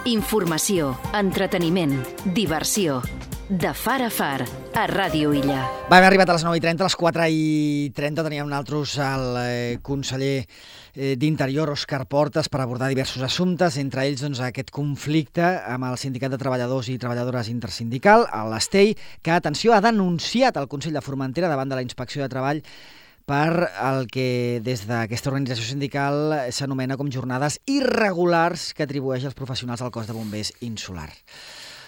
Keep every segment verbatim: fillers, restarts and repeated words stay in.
Informació, entreteniment, diversió. De far a far, a Ràdio Illa. Va, hem arribat a les nou i trenta, a les quatre i trenta teníem nosaltres el eh, conseller eh, d'Interior, Òscar Portas, per abordar diversos assumptes, entre ells doncs, aquest conflicte amb el Sindicat de Treballadors i Treballadores Intersindical, l'S T E I, que, atenció, ha denunciat el Consell de Formentera davant de la Inspecció de Treball per el que des d'aquesta organització sindical s'anomena com jornades irregulars que atribueix als professionals del cos de bombers insular.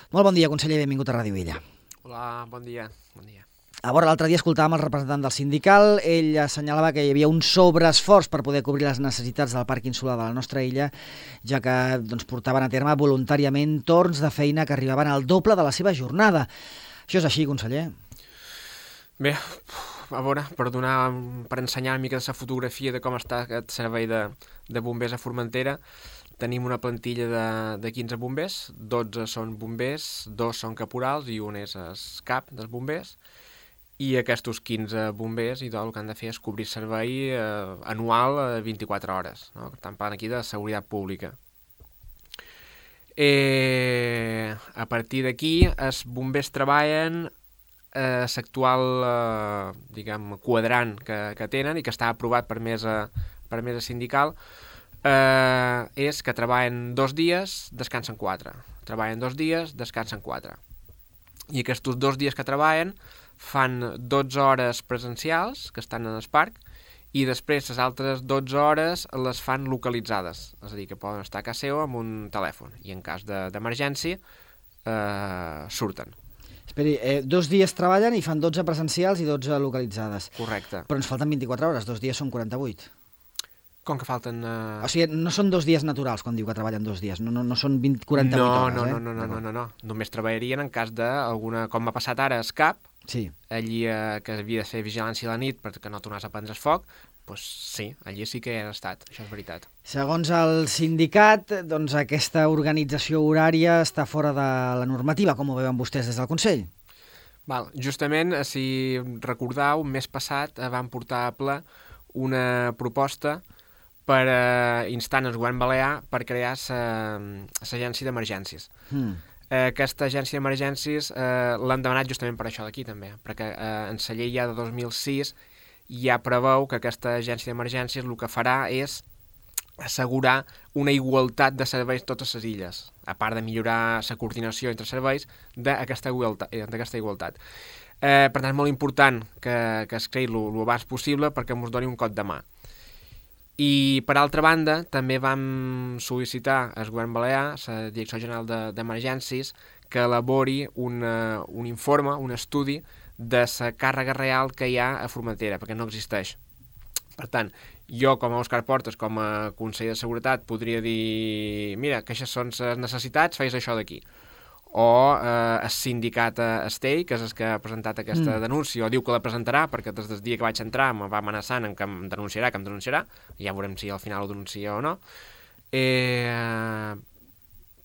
Molt bon dia, conseller, benvingut a Ràdio Illa. Hola, bon dia. Bon dia. A veure, l'altre dia escoltàvem el representant del sindical, ell assenyalava que hi havia un sobreesforç per poder cobrir les necessitats del parc insular de la nostra illa, ja que doncs, portaven a terme voluntàriament torns de feina que arribaven al doble de la seva jornada. Això és així, conseller? Bé, a veure, per donar, per ensenyar una mica la fotografia de com està aquest servei de, de bombers a Formentera, tenim una plantilla de, de quinze bombers, dotze són bombers, dos són caporals i un és el cap dels bombers, i aquests quinze bombers i tot el que han de fer és cobrir servei eh, anual a vint-i-quatre hores, no? Estan parlant aquí de seguretat pública. Eh, a partir d'aquí, els bombers treballen eh, l'actual eh, diguem, quadrant que, que tenen i que està aprovat per mesa, per mesa sindical, eh, és que treballen dos dies, descansen quatre. Treballen dos dies, descansen quatre. I aquests dos dies que treballen fan dotze hores presencials, que estan en el parc, i després les altres dotze hores les fan localitzades, és a dir, que poden estar a casa seva amb un telèfon, i en cas d'emergència eh, surten. Esperi, eh, dos dies treballen i fan dotze presencials i dotze localitzades. Correcte. Però ens falten vint-i-quatre hores, dos dies són quaranta-vuit. Com que falten... Uh... O sigui, no són dos dies naturals quan diu que treballen dos dies, no, no, no són vint, quaranta-vuit no, hores, no, eh? No, no, no, no, no, no, només treballarien en cas d'alguna... Com m'ha passat ara a CAP, sí. Allí eh, que havia de fer vigilància a la nit perquè no tornés a prendre el foc, doncs sí, allí sí que hi han estat, això és veritat. Segons el sindicat, doncs aquesta organització horària està fora de la normativa, com ho veuen vostès des del Consell? Val, justament, si recordeu, mes passat van portar a ple una proposta per eh, instar el govern balear per crear l'agència d'emergències. Mm. Eh, aquesta agència d'emergències eh, l'han demanat justament per això d'aquí també, perquè eh, en la llei ja de dos mil sis ja preveu que aquesta agència d'emergències el que farà és assegurar una igualtat de serveis a totes les illes, a part de millorar la coordinació entre serveis d'aquesta igualtat. igualtat. Eh, per tant, és molt important que, que es creï el abans possible perquè ens doni un cop de mà. I, per altra banda, també vam sol·licitar al govern balear, la Direcció General d'Emergències, que elabori un, uh, un informe, un estudi de la càrrega real que hi ha a Formentera, perquè no existeix. Per tant, jo, com a Òscar Portas, com a conseller de Seguretat, podria dir, mira, que aquestes són les necessitats, feis això d'aquí. O eh, el sindicat S T E I, que és el que ha presentat aquesta mm. denúncia, o diu que la presentarà, perquè des del dia que vaig entrar em va amenaçant en que em denunciarà, que em denunciarà, ja veurem si al final ho denuncia o no, eh,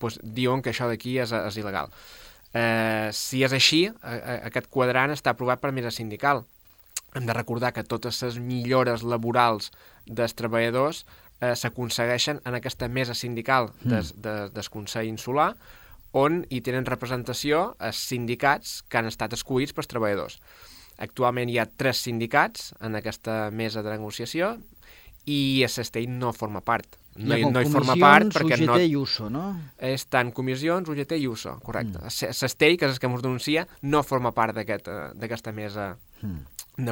pues, diuen que això d'aquí és, és il·legal. Eh, si és així, eh, aquest quadrant està aprovat per mesa sindical. Hem de recordar que totes les millores laborals dels treballadors eh, s'aconsegueixen en aquesta mesa sindical des, des, del Consell Insular, on hi tenen representació els sindicats que han estat escollits pels treballadors. Actualment hi ha tres sindicats en aquesta mesa de negociació i el S T E I no forma part. No hi, no hi forma part perquè no... U G T i U S O, no? És tant comissions, U G T i U S O, correcte. Mm. El S T E I, que és el que ens denuncia, no forma part d'aquesta aquest, mesa mm.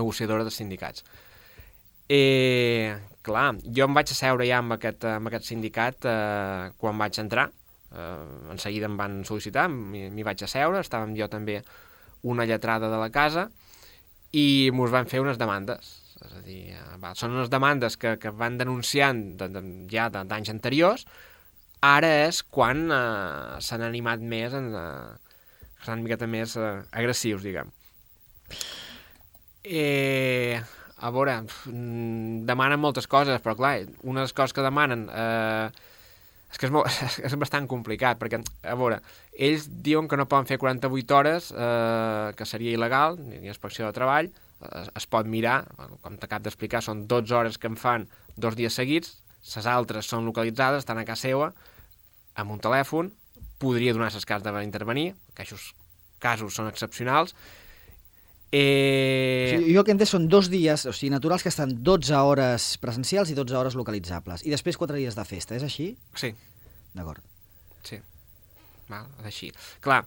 negociadora de sindicats. Eh, clar, jo em vaig asseure ja amb aquest, amb aquest sindicat eh, quan vaig entrar. Uh, en seguida em van sol·licitar, m'hi vaig asseure, estàvem jo també una lletrada de la casa i mos van fer unes demandes. És a dir, uh, va, són unes demandes que, que van denunciant de, de, ja d'anys anteriors, ara és quan uh, s'han animat més, en, uh, s'han una miqueta més uh, agressius, diguem. Eh, a veure, demanen moltes coses, però clar, una de les coses que demanen... Uh, És que és, molt, és bastant complicat, perquè, a veure, ells diuen que no poden fer quaranta-vuit hores, eh, que seria il·legal, ni inspecció de treball, es, es pot mirar, com t'acabo d'explicar, són dotze hores que en fan dos dies seguits, les altres són localitzades, estan a casa seva, amb un telèfon, podria donar les cas d'intervenir, que aquests casos són excepcionals. Eh... O sigui, jo el que entenc són dos dies, o sigui, naturals que estan dotze hores presencials i dotze hores localitzables, i després quatre dies de festa, és així? Sí. D'acord. Sí. Val, és així. Clar,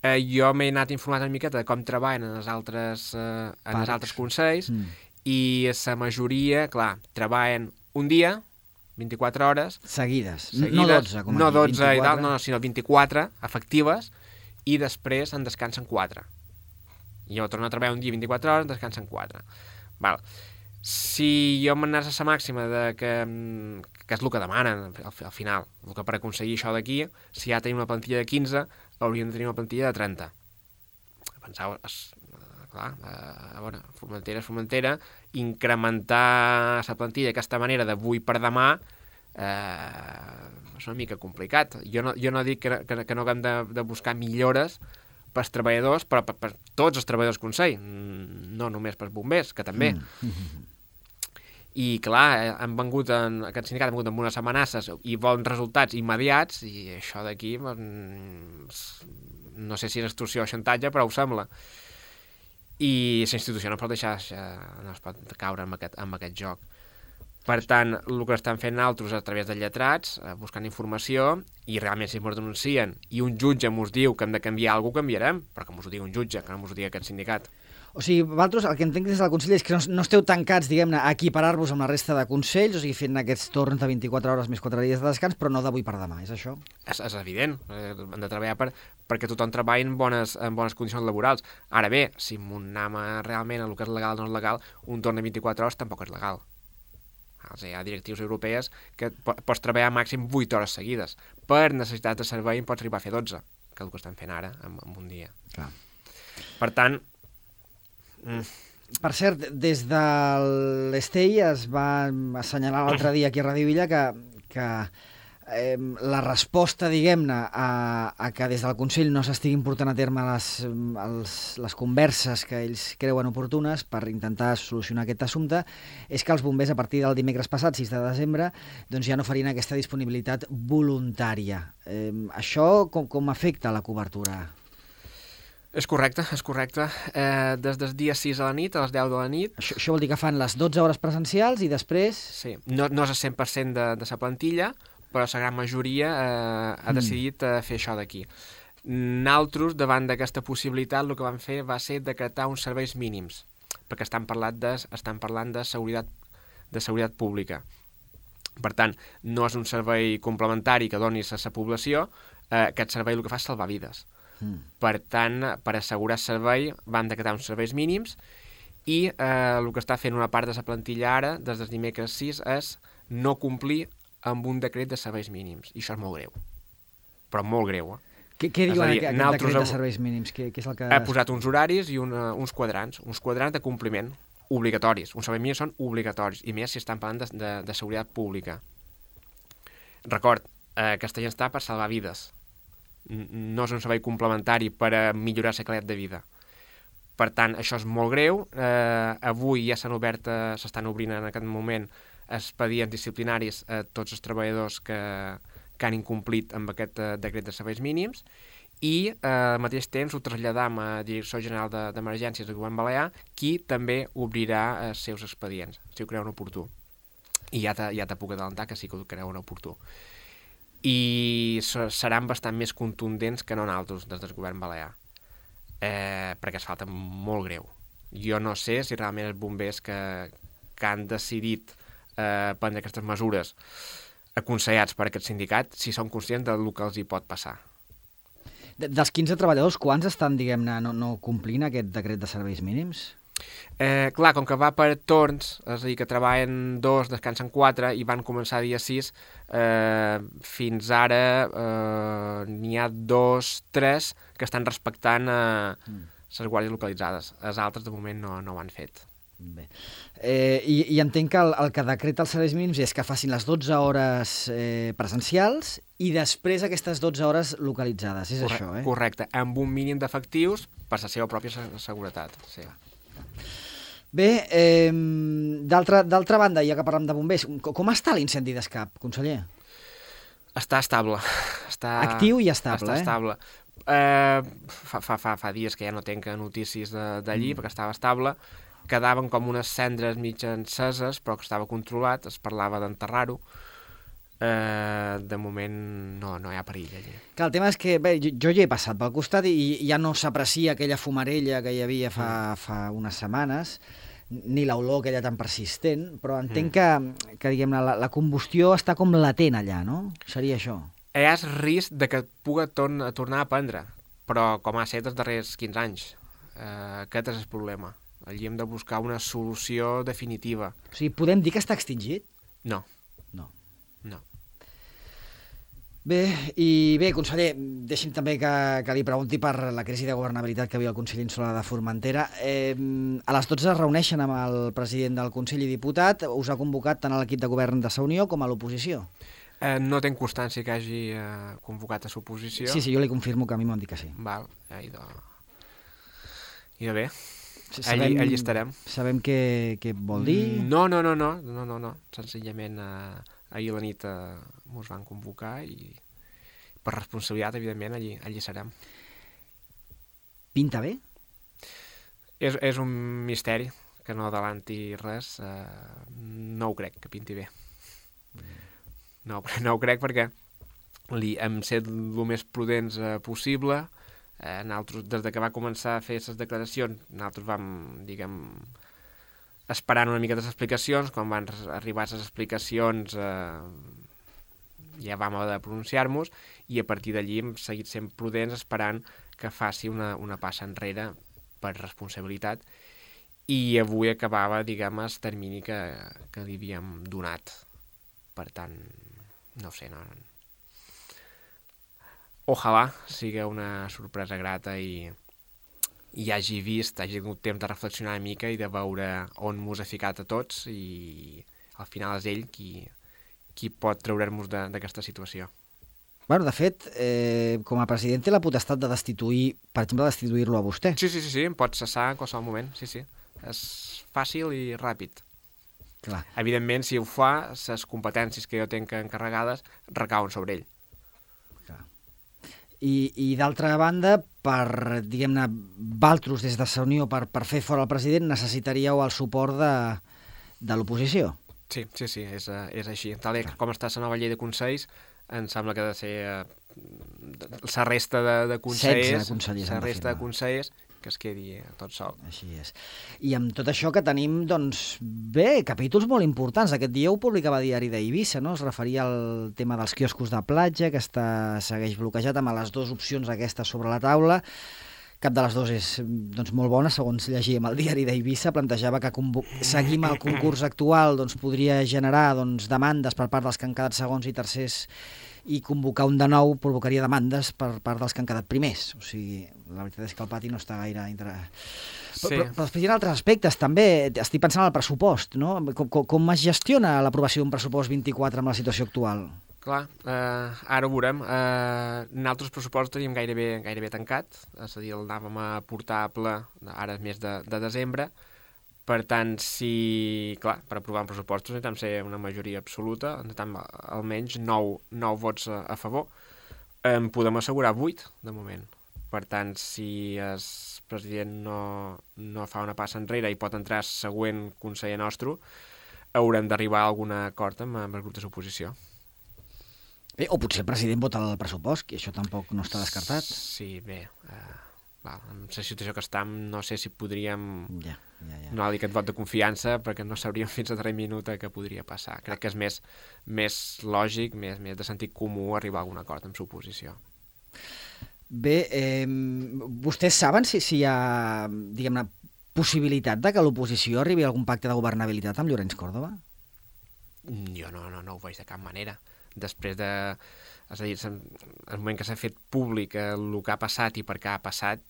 eh, jo m'he anat informat una miqueta de com treballen en els altres, eh, en els altres consells, mm. i la majoria, clar, treballen un dia, vint-i-quatre hores... Seguides, seguides no dotze, com no aquí, dotze vint-i-quatre. I tal, no, no, sinó vint-i-quatre efectives, i després en descansen quatre. I jo torno a treballar un dia vint-i-quatre hores, en descansen quatre. Val. Si jo m'anés a la màxima de que, que és el que demanen al, al final, el que per aconseguir això d'aquí, si ja tenim una plantilla de quinze, hauríem de tenir una plantilla de trenta. Penseu, és, clar, a veure, Formentera és Formentera, incrementar la plantilla d'aquesta manera de avui per demà eh, és una mica complicat. Jo no, jo no dic que, que, que no haguem de, de buscar millores pels treballadors, però per, per tots els treballadors del Consell, no només pels bombers, que també. Mm. I, clar, han vengut en, aquest sindicat ha vengut amb unes amenaces i volen resultats immediats, i això d'aquí, no sé si és extorsió o xantatge, però ho sembla. I la institució no pot deixar, no es pot caure en aquest, en aquest joc. Per tant, el que estan fent altres a través de lletrats, buscant informació, i realment si ens denuncien i un jutge ens diu que hem de canviar alguna cosa, canviarem, però que ens ho digui un jutge, que no ens ho digui aquest sindicat. O sigui, vosaltres el que entenc des del Consell és que no, no esteu tancats, diguem-ne, a equiparar-vos amb la resta de consells, o sigui, fent aquests torns de vint-i-quatre hores més quatre dies de descans, però no d'avui per demà, és això? És, és evident, hem de treballar per, perquè tothom treballi en bones, en bones condicions laborals. Ara bé, si anem realment a el que és legal o no és legal, un torn de vint-i-quatre hores tampoc és legal. O sigui, hi ha directius europees que pots treballar màxim vuit hores seguides. Per necessitat de servei en pots arribar a fer dotze, que és el que estan fent ara en, en un dia. Clar. Per tant... Mm. Per cert, des de l'Estei es va assenyalar l'altre dia aquí a Ràdio Villa que, que eh, la resposta, diguem-ne, a, a que des del Consell no s'estiguin portant a terme les, els, les converses que ells creuen oportunes per intentar solucionar aquest assumpte és que els bombers, a partir del dimecres passat, sis de desembre, doncs ja no farien aquesta disponibilitat voluntària. Eh, això com, com afecta la cobertura? És correcte, és correcte. Eh, des del dia sis a la nit, a les deu de la nit... Això, això vol dir que fan les dotze hores presencials i després... Sí, no, no és el cent per cent de, de la plantilla, però la gran majoria eh, ha decidit eh, fer això d'aquí. Nosaltres, davant d'aquesta possibilitat, el que vam fer va ser decretar uns serveis mínims, perquè estan parlant de, estan parlant de seguretat, de seguretat pública. Per tant, no és un servei complementari que donis a la població, eh, aquest servei el que fa és salvar vides. Mm. Per tant, per assegurar el servei, vam decretar uns serveis mínims i eh, el que està fent una part de la plantilla ara, des del dimecres sis, és no complir amb un decret de serveis mínims. I això és molt greu. Però molt greu, eh? Què, què diu dir, aquest decret de serveis mínims? Què, què és el que... Ha posat uns horaris i una, uns quadrants, uns quadrants de compliment obligatoris. Uns serveis mínims són obligatoris, i més si estan parlant de, de, de seguretat pública. Record, eh, aquesta gent està per salvar vides. No és un servei complementari per a millorar la qualitat de vida. Per tant, això és molt greu. Eh, avui ja s'han obert, eh, s'estan obrint en aquest moment expedients disciplinaris a tots els treballadors que, que han incomplit amb aquest eh, decret de serveis mínims, i eh, al mateix temps ho traslladam a la Direcció General d'Emergències del Govern Balear, qui també obrirà els seus expedients, si ho creuen oportú. I ja te, ja te puc adelantar que sí que ho creuen oportú. I seran bastant més contundents que no nosaltres des del Govern Balear, eh, perquè es falta molt greu. Jo no sé si realment els bombers que, que han decidit eh, prendre aquestes mesures aconsellats per aquest sindicat, si són conscients del que els hi pot passar. De, dels quinze treballadors, quants estan, diguem-ne, no, no complint aquest decret de serveis mínims? Eh, clar, com que va per torns, és a dir, que treballen dos, descansen quatre i van començar dia sis, eh, fins ara eh, n'hi ha dos, tres que estan respectant eh, mm. les guàrdies localitzades. Els altres, de moment, no, no ho han fet. Bé. Eh, i, I entenc que el, el que decreta els serveis mínims és que facin les dotze hores eh, presencials i després aquestes dotze hores localitzades. És Correcte, això, eh? Correcte, amb un mínim d'efectius per la seva pròpia seguretat. Sí. Bé, eh, d'altra banda, ja que parlem de bombers, com està l'incendi d'Escap, conseller? Està estable, està... Actiu i estable, està eh? estable. Eh, fa, fa, fa, fa dies que ja no tenc notícies d'allí, mm. perquè estava estable. Quedaven com unes cendres mig enceses, però que estava controlat, es parlava d'enterrar-ho. Eh, de moment no, no hi ha perill allí. Que el tema és que bé, jo, jo hi he passat pel costat i ja no s'aprecia aquella fumarella que hi havia fa, mm. fa unes setmanes, ni l'olor aquella tan persistent, però entenc mm. que, que diguem, la, la combustió està com latent allà, no? Seria això. Hi ha risc de que pugui torn, tornar a prendre, però com ha estat els darrers quinze anys. Eh, aquest és el problema. Allí hem de buscar una solució definitiva. O sigui, podem dir que està extingit? No. No. No. Bé, i bé, conseller, deixi'm també que, que li pregunti per la crisi de governabilitat que havia el Consell Insular de Formentera. Eh, a les dotze es reuneixen amb el president del Consell i diputat. Us ha convocat tant a l'equip de govern de Sa Unió com a l'oposició? Eh, no tenc constància que hagi eh, convocat a l'oposició. Sí, sí, jo li confirmo que a mi m'han dit que sí. Val, eh, idò... I de bé. Sabem, allí, allí estarem. Sabem què, què vol dir? No, no, no, no, no, no, no. Senzillament eh, ahir a la nit eh, mos van convocar i per responsabilitat, evidentment, allí, allí serem. Pinta bé? És, és un misteri que no adelanti res. Eh, no ho crec, que pinti bé. No, no ho crec perquè li hem set el més prudents eh, possible. Eh, nosaltres, des de que va començar a fer aquestes declaracions, nosaltres vam, diguem, esperant una mica les explicacions. Quan van arribar les explicacions eh, ja vam haver de pronunciar-nos i a partir d'allí hem seguit sent prudents esperant que faci una, una passa enrere per responsabilitat i avui acabava, diguem, el termini que, que li havíem donat. Per tant, no ho sé, no... Ojalà sigui una sorpresa grata i, i hagi vist, hagi tingut temps de reflexionar una mica i de veure on mos ha ficat a tots i al final és ell qui, qui pot treure'ns d'aquesta situació. Bueno, de fet, eh, com a president té la potestat de destituir, per exemple, destituir-lo a vostè. Sí, sí, sí, sí, em pot cessar en qualsevol moment, sí, sí. És fàcil i ràpid. Clar. Evidentment, si ho fa, les competències que jo tinc encarregades recauen sobre ell. Clar. I, i d'altra banda, per, diguem-ne, valtros des de Sa Unió per, per fer fora el president, necessitaríeu el suport de, de l'oposició. Sí, sí, sí, és, és així. Tal com està la nova llei de consells, em sembla que ha de ser eh, la resta de, de consellers, la resta de consellers que es quedi tot sol. Així és. I amb tot això que tenim, doncs, bé, capítols molt importants. Aquest dia ho publicava a Diari d'Eivissa, no? Es referia al tema dels quioscos de platja, que està, segueix bloquejat amb les dues opcions aquestes sobre la taula. Cap de les dues és doncs, molt bona, segons llegíem al Diari d'Eivissa, plantejava que seguir amb el concurs actual doncs, podria generar doncs, demandes per part dels que han quedat segons i tercers i convocar un de nou provocaria demandes per part dels que han quedat primers. O sigui, la veritat és que el pati no està gaire... Inter... Sí. Però, però després hi ha altres aspectes, també. Estic pensant en el pressupost, no? Com, com, com es gestiona l'aprovació d'un pressupost vint-i-quatre amb la situació actual? Clar, eh, ara ho veurem. Eh, nosaltres pressupost teníem gairebé, gairebé tancat, és a dir, el anàvem a portar a ple ara mes de, de desembre. Per tant, si, clar, per aprovar un pressupost necessitem ser una majoria absoluta, necessitem almenys nou, nou vots a, a favor. En podem assegurar vuit, de moment. Per tant, si el president no, no fa una passa enrere i pot entrar el següent conseller nostre, haurem d'arribar a algun acord amb, amb el grup de l'oposició. Bé, o potser el president vota el pressupost, que això tampoc no està descartat. Sí, bé... Eh... Val, en la situació que estem, no sé si podríem ja, ja, ja. no dir aquest vot de confiança perquè no sabríem fins a darrer minut què podria passar. Crec que és més, més lògic, més, més de sentit comú arribar a algun acord amb l'oposició. Bé, eh, vostès saben si, si hi ha, diguem-ne, possibilitat de que l'oposició arribi a algun pacte de governabilitat amb Llorenç Córdoba? Jo no, no, no ho veig de cap manera. Després de... És a dir, el moment que s'ha fet públic el que ha passat i per què ha passat,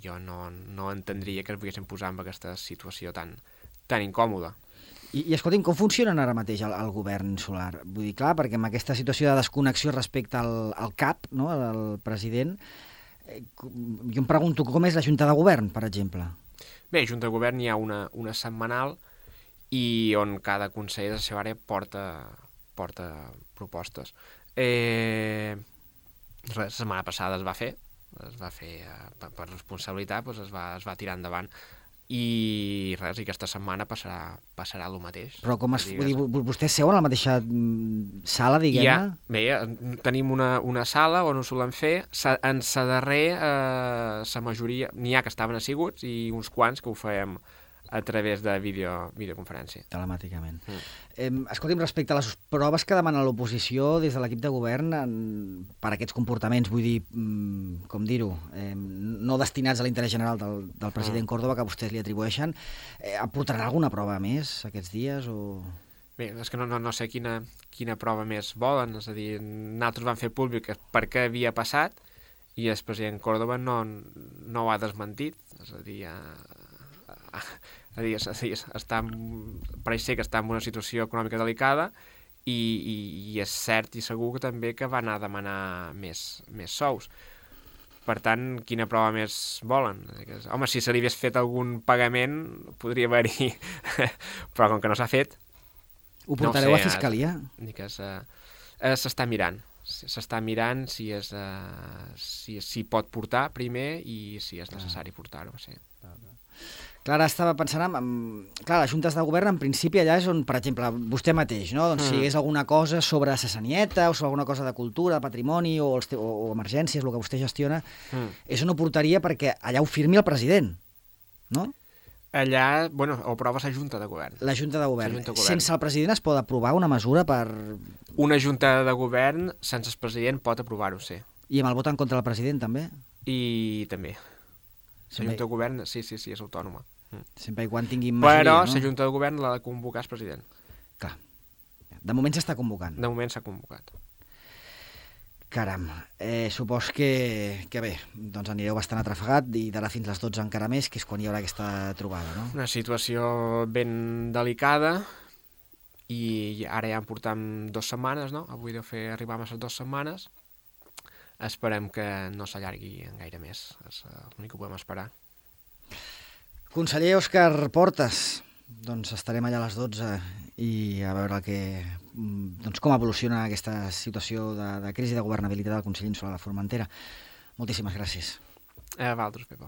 jo no, no entendria que es poguessin posar en aquesta situació tan, tan incòmoda. I, i escolti'm, com funcionen ara mateix el, el govern insular? Vull dir, clar, perquè amb aquesta situació de desconnexió respecte al, al cap, no?, al president, eh, jo em pregunto com és la Junta de Govern, per exemple? Bé, a Junta de Govern hi ha una, una setmanal i on cada conseller de la seva àrea porta, porta propostes. Eh, Res, la setmana passada es va fer, es va fer eh, per, per responsabilitat, doncs es va, es va tirar endavant. I res, i aquesta setmana passarà, passarà el mateix. Però com es... Vull dir, vostès seuen a la mateixa sala, diguem-ne? Ja, bé, tenim una, una sala on ho solem fer. Sa, en sa darrer, eh, sa majoria, n'hi ha que estaven asseguts i uns quants que ho fèiem a través de vídeo, videoconferència. Telemàticament. Mm. Eh, escolti'm, respecte a les proves que demana l'oposició des de l'equip de govern en, per aquests comportaments, vull dir, mm, com dir-ho, eh, no destinats a l'interès general del, del president mm. Córdoba, que vostès li atribueixen, eh, aportarà alguna prova més aquests dies? O... Bé, és que no, no, no sé quina, quina prova més volen, és a dir, nosaltres vam fer públic per què havia passat i el president Córdoba no, no ho ha desmentit, és a dir, eh, a dir, a dir està, pareix ser que està en una situació econòmica delicada i, i, i és cert i segur que també que va anar a demanar més, més sous. Per tant, quina prova més volen? Home, si se li hagués fet algun pagament, podria haver-hi, però com que no s'ha fet... Ho portareu no sé, a Fiscalia? S'està mirant. S'està mirant si és uh, si, si pot portar primer i si és necessari portar-ho, sí. Clara, estava pensant en... en clar, les juntes de govern, en principi, allà és on, per exemple, vostè mateix, no? Doncs mm. si hi hagués alguna cosa sobre Sassanieta o sobre alguna cosa de cultura, de patrimoni o, els te... o, o emergències, el que vostè gestiona, mm. és on ho portaria perquè allà ho firmi el president, no? Allà, bueno, ho aprova la Junta de Govern. La Junta de Govern. Junta de govern. Sense el president es pot aprovar una mesura per... Una Junta de Govern, sense el president, pot aprovar-ho, sí. I amb el vot en contra del president, també? I també. La Sempre... Junta de Govern, sí, sí, sí, és autònoma. Mm. Sempre i quan tinguin majoria, Però no? la Junta de Govern l'ha de convocar el president. Clar. De moment s'està convocant. De moment s'ha convocat. Caram, eh, supos que, que bé, doncs anireu bastant atrafegat i d'ara fins les dotze encara més, que és quan hi haurà aquesta trobada, no? Una situació ben delicada i ara ja en portam dues setmanes, no? Avui deu fer arribar a les dues setmanes. Esperem que no s'allargui gaire més, és l'únic que podem esperar. Conseller Òscar Portas, doncs estarem allà a les dotze i a veure que, doncs com evoluciona aquesta situació de, de crisi de governabilitat del Consell Insular de Formentera. Moltíssimes gràcies. A vosaltres, Pepa.